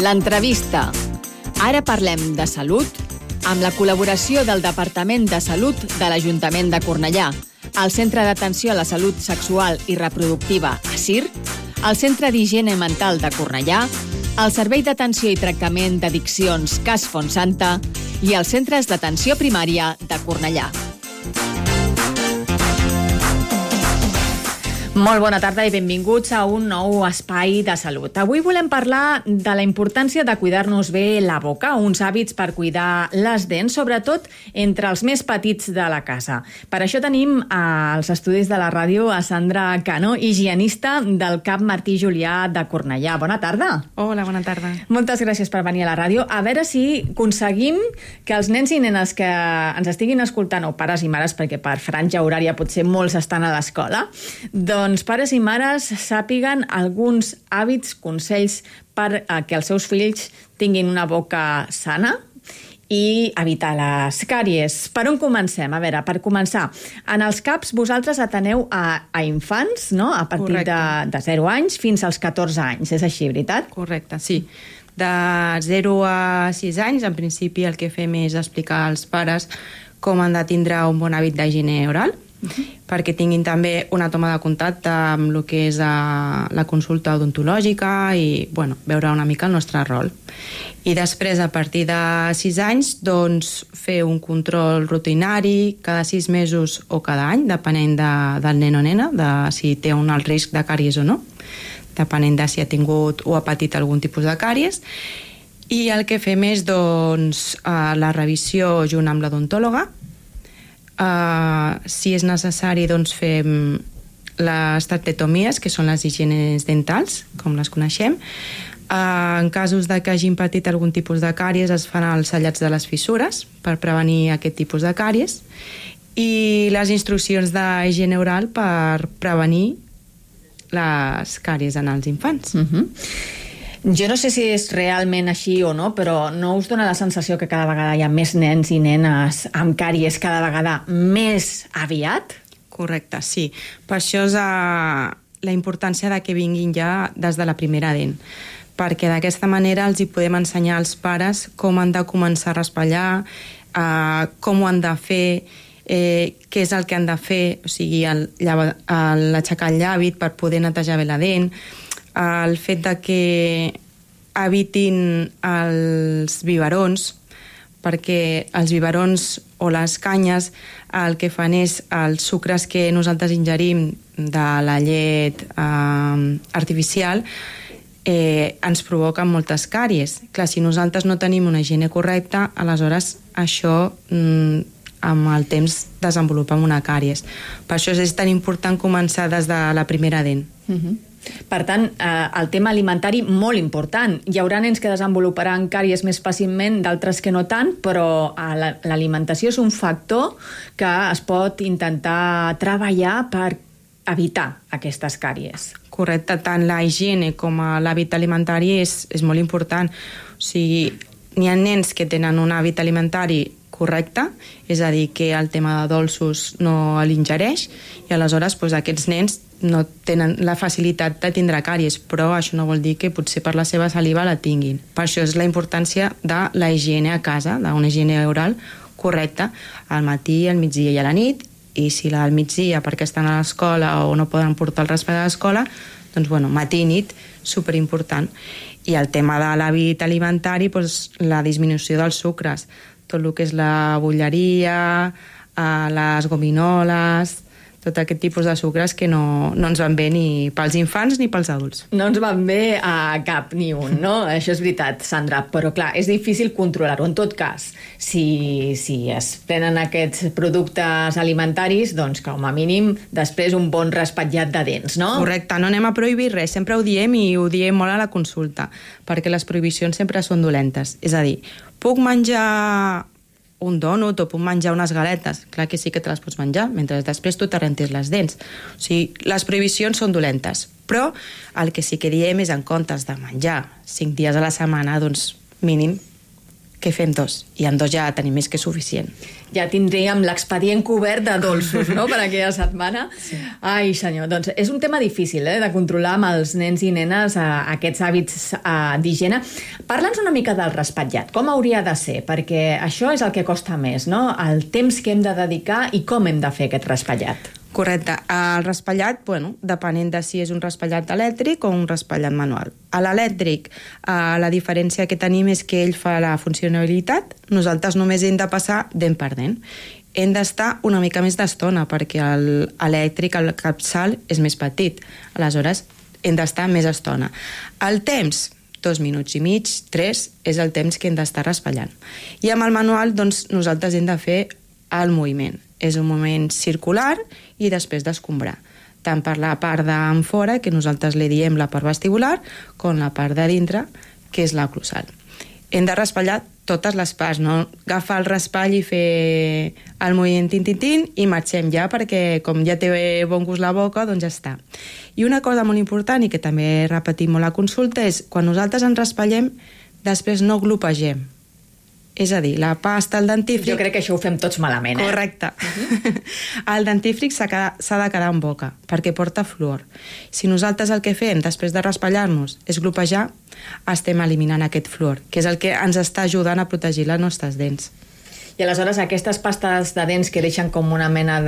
L'entrevista. Ara parlem de salut amb la col·laboració del Departament de Salut de l'Ajuntament de Cornellà, el Centre d'Atenció a la Salut Sexual i Reproductiva, ASIR, el Centre d'Higiene Mental de Cornellà, el Servei d'Atenció i Tractament d'Addiccions Cas Fontsanta i els Centres d'Atenció Primària de Cornellà. Molt bona tarda i benvinguts a un nou espai de salut. Avui volem parlar de la importància de cuidar-nos bé la boca, uns hàbits per cuidar les dents, sobretot entre els més petits de la casa. Per això tenim als estudis de la ràdio a Sandra Cano, higienista del CAP Martí Julià de Cornellà. Bona tarda. Hola, bona tarda. Moltes gràcies per venir a la ràdio. A veure si aconseguim que els nens i nenes que ens estiguin escoltant, o pares i mares, perquè per franja horària potser molts estan a l'escola, doncs pares i mares sàpiguen alguns hàbits, consells per que els seus fills tinguin una boca sana i evitar les càries. Per on comencem? A veure, per començar, en els CAPs vosaltres ateneu a infants, no? A partir de 0 anys fins als 14 anys, és així, veritat? Correcte, sí. De 0 a 6 anys, en principi el que fem és explicar als pares com han de tindre un bon hàbit d'higiene oral, perquè tinguin també una toma de contacte amb el que és la consulta odontològica i veure una mica el nostre rol. I després, a partir de 6 anys, doncs, fer un control rutinari cada 6 mesos o cada any, depenent del nen o nena, de si té un alt risc de càries o no, depenent de si ha tingut o ha patit algun tipus de càries. I el que fem és doncs, la revisió junt amb l'odontòloga. Si és necessari, doncs fem les tractetomies, que són les higienes dentals, com les coneixem. En casos de que hagin patit algun tipus de càries, es fan els tallats de les fissures per prevenir aquest tipus de càries, i les instruccions d'higiene oral per prevenir les càries en els infants. Jo no sé si és realment així o no, però no us dona la sensació que cada vegada hi ha més nens i nenes amb càries cada vegada més aviat? Correcte, sí. Per això és la importància de que vinguin ja des de la primera dent, perquè d'aquesta manera els hi podem ensenyar als pares com han de començar a raspallar, com ho han de fer, què és el que han de fer, o sigui, l'aixecar el llavi per poder netejar bé la dent, el fet de que evitin els biberons, perquè els biberons o les canyes el que fan és els sucres que nosaltres ingerim de la llet artificial ens provoquen moltes càries. Clar, si nosaltres no tenim una higiene correcta, aleshores això amb el temps desenvolupem una càries. Per això és tan important començar des de la primera dent. Per tant, el tema alimentari molt important. Hi haurà nens que desenvoluparan càries més fàcilment, d'altres que no tant, però l'alimentació és un factor que es pot intentar treballar per evitar aquestes càries. Correcte, tant la higiene com l'hàbit alimentari és molt important. O sigui, n'hi ha nens que tenen un hàbit alimentari correcte, és a dir, que el tema de dolços no l'ingereix, i aleshores aquests nens no tenen la facilitat de tindre càries, però això no vol dir que potser per la seva saliva la tinguin. Per això és la importància de la higiene a casa, d'una higiene oral correcta al matí, al migdia i a la nit, i si al migdia perquè estan a l'escola o no poden portar el raspall a l'escola, doncs matí i nit, superimportant. I el tema de l'hàbit alimentari, la disminució dels sucres, tot el que és la bolleria, les gominoles, tot aquest tipus de sucres que no ens van bé ni pels infants ni pels adults. No ens van bé a cap ni un, no? Això és veritat, Sandra, però clar, és difícil controlar-ho. En tot cas, si es prenen aquests productes alimentaris, doncs com a mínim després un bon raspatllat de dents, no? Correcte, no anem a prohibir res, sempre ho diem i ho diem molt a la consulta, perquè les prohibicions sempre són dolentes. És a dir, puc menjar un dònut o puc menjar unes galetes? Clar que sí que te les pots menjar, mentre després tu te rentis les dents. O sigui, les prohibicions són dolentes, però el que sí que diem és en comptes de menjar 5 dies a la setmana, doncs mínim que fem 2, i en 2 ja tenim més que suficient. Ja tindríem l'expedient cobert de dolços, no?, per aquella setmana. Sí. Ai, senyor, doncs és un tema difícil, de controlar amb els nens i nenes aquests hàbits d'higiene. Parla'ns una mica del raspallat. Com hauria de ser? Perquè això és el que costa més, no?, el temps que hem de dedicar i com hem de fer aquest raspallat. Correcte. El raspallat, depenent de si és un raspallat elèctric o un raspallat manual. A l'elèctric, la diferència que tenim és que ell fa la funcionalitat, nosaltres només hem de passar dent per dent. Hem d'estar una mica més d'estona, perquè l'elèctric, el capçal, és més petit. Aleshores, hem d'estar més estona. El temps, 2 minuts i mig, 3, és el temps que hem d'estar raspallant. I amb el manual, doncs, nosaltres hem de fer el moviment. És un moviment circular i després d'escombrar, tant per la part d'enfora, que nosaltres li diem la part vestibular, com la part de dintre, que és la oclusal. Hem de raspallar totes les parts, no agafar el raspall i fer el moviment tin-tin-tin i marxem ja, perquè com ja té bon gust la boca, doncs ja està. I una cosa molt important, i que també repetim molt a consulta, és quan nosaltres ens raspallem, després no glopegem. És a dir, la pasta, el dentífric... Jo crec que això ho fem tots malament, Correcte. El dentífric s'ha de quedar en boca, perquè porta fluor. Si nosaltres el que fem després de raspallar-nos és glopejar, estem eliminant aquest fluor, que és el que ens està ajudant a protegir les nostres dents. I aleshores aquestes pastes de dents que deixen com una mena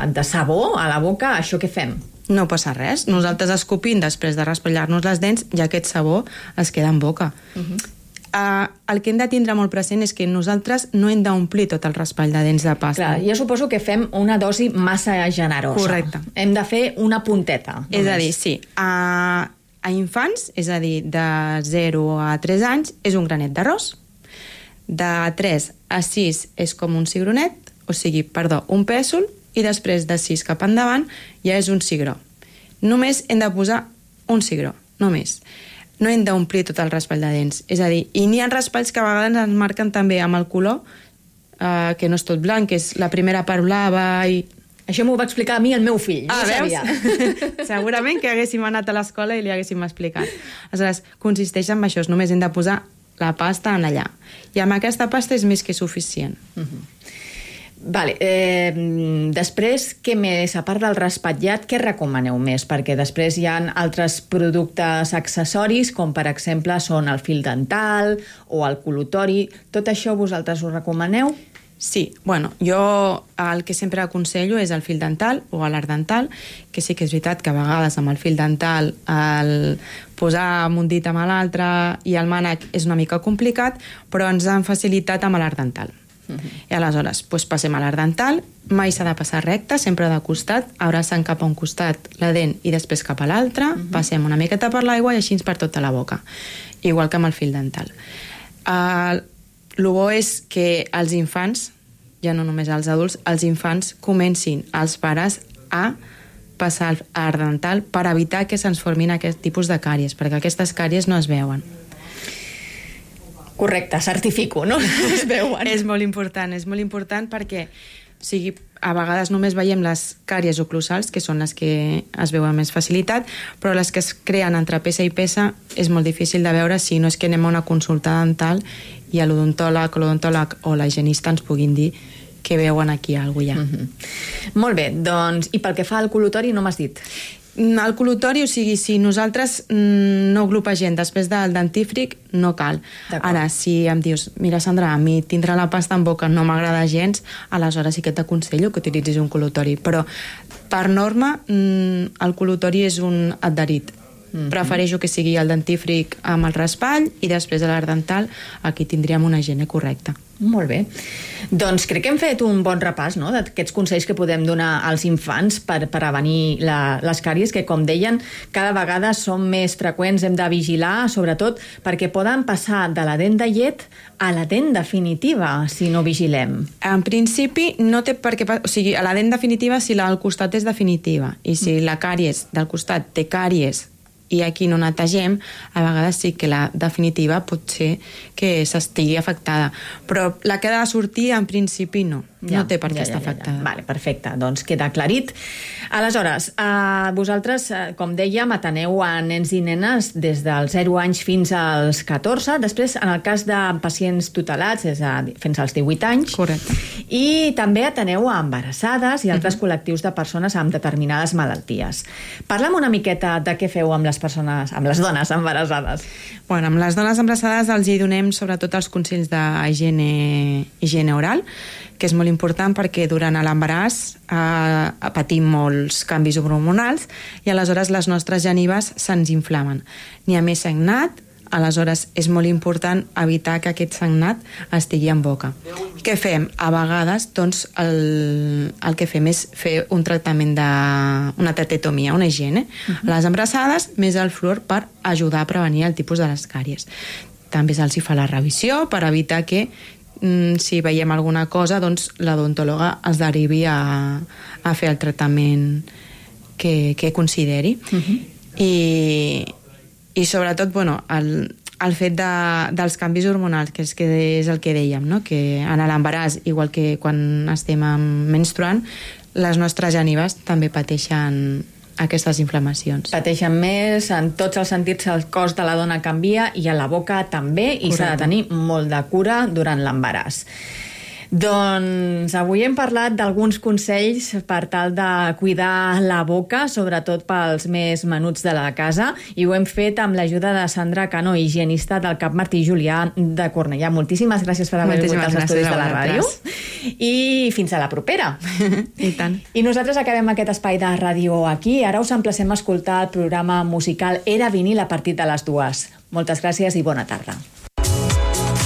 de sabó a la boca, això què fem? No passa res. Nosaltres escopint després de raspallar-nos les dents, ja aquest sabó es queda en boca. El que hem de tindre molt present és que nosaltres no hem d'omplir tot el raspall de dents de pasta. Clar, jo suposo que fem una dosi massa generosa. Correcte. Hem de fer una punteta. Només. És a dir, sí. A infants, és a dir, de 0 a 3 anys, és un granet d'arròs. De 3 a 6 és com un cigronet, un pèsol, i després de 6 cap endavant ja és un cigró. Només hem de posar un cigró, només. No hem d'omplir tot el raspall de dents. És a dir, i n'hi ha raspalls que a vegades ens marquen també amb el color, que no és tot blanc, que és la primera part blava i... Això m'ho va explicar a mi el meu fill, no sabia. Segurament que haguéssim anat a l'escola i li haguéssim explicat. Aleshores, consisteix en això, només hem de posar la pasta en allà. I amb aquesta pasta és més que suficient. Vale, després, què més? A part del raspallat, què recomaneu més? Perquè després hi ha altres productes accessoris, com per exemple són el fil dental o el col·lutori. Tot això vosaltres ho recomaneu? Sí, jo el que sempre aconsello és el fil dental o l'art dental, que sí que és veritat que a vegades amb el fil dental el posar un dit amb l'altre i el mànec és una mica complicat, però ens han facilitat amb l'art dental. I aleshores passem a l'art dental, mai s'ha de passar recte, sempre de costat, abraçant cap a un costat la dent i després cap a l'altre, passem una miqueta per l'aigua i així per tota la boca, igual que amb el fil dental. El bo és que els infants, ja no només els adults, els infants comencin els pares a passar el art dental per evitar que se'ns formin aquest tipus de càries, perquè aquestes càries no es veuen. Correcte, certifico, no? Es veuen. És molt important perquè a vegades només veiem les càries oclusals, que són les que es veuen amb més facilitat, però les que es creen entre peça i peça és molt difícil de veure si no és que anem a una consulta dental i l'odontòleg o la higienista ens puguin dir que veuen aquí alguna cosa ja. Molt bé, doncs, i pel que fa al col·lutori no m'has dit? El col·lutori, si nosaltres no glopegem després del dentífric, no cal. Ara, si em dius, mira Sandra, a mi tindre la pasta en boca no m'agrada gens, aleshores sí que t'aconsello que utilitzis un col·lutori. Però, per norma, el col·lutori és un adherit. Prefereixo que sigui el dentífric amb el raspall i després de l'art dental aquí tindríem una higiene correcta. Molt bé. Doncs crec que hem fet un bon repàs, no?, d'aquests consells que podem donar als infants per prevenir les càries, que, com deien, cada vegada són més freqüents, hem de vigilar, sobretot perquè poden passar de la dent de llet a la dent definitiva, si no vigilem. En principi, no té per què... O sigui, a la dent definitiva si la del costat és definitiva, i si la càries del costat té càries i aquí no netegem, a vegades sí que la definitiva pot ser que s'estigui afectada. Però la que ha de sortir, en principi, no. No té per què estar afectada. Vale, perfecte, doncs queda aclarit. Aleshores, vosaltres, com dèiem, ateneu a nens i nenes des dels 0 anys fins als 14, després, en el cas de pacients tutelats, és a dir, fins als 18 anys. Correcte. I també ateneu a embarassades i altres col·lectius de persones amb determinades malalties. Parla'm una miqueta de què feu amb les persones, amb les dones embarassades. Bueno, amb les dones embarassades els hi donem sobretot els consells d'higiene oral, que és molt important perquè durant l'embaràs patim molts canvis hormonals i aleshores les nostres genives se'ns inflamen. N'hi ha més sagnat, aleshores és molt important evitar que aquest sagnat estigui en boca. Què fem? A vegades, doncs, el que fem és fer un tractament una tetetomia, una higiene. Les embarassades, més el fluor per ajudar a prevenir el tipus de les càries. També se'ls fa la revisió per evitar que si veiem alguna cosa, doncs l'odontòloga es derivi a fer el tractament que consideri. I sobretot, bueno, el fet dels canvis hormonals, que és el que dèiem, no? Que en l'embaràs, igual que quan estem menstruant, les nostres genives també pateixen aquestes inflamacions. Pateixen més, en tots els sentits el cos de la dona canvia i a la boca també, i s'ha de tenir molt de cura durant l'embaràs. Doncs avui hem parlat d'alguns consells per tal de cuidar la boca, sobretot pels més menuts de la casa, i ho hem fet amb l'ajuda de Sandra Cano, higienista del Cap Martí Julià de Cornellà. Moltíssimes gràcies per haver vingut als estudis de la ràdio. I fins a la propera. I tant. I nosaltres acabem aquest espai de ràdio aquí. Ara us emplacem a escoltar el programa musical Era vinil a partir de les 2. Moltes gràcies i bona tarda.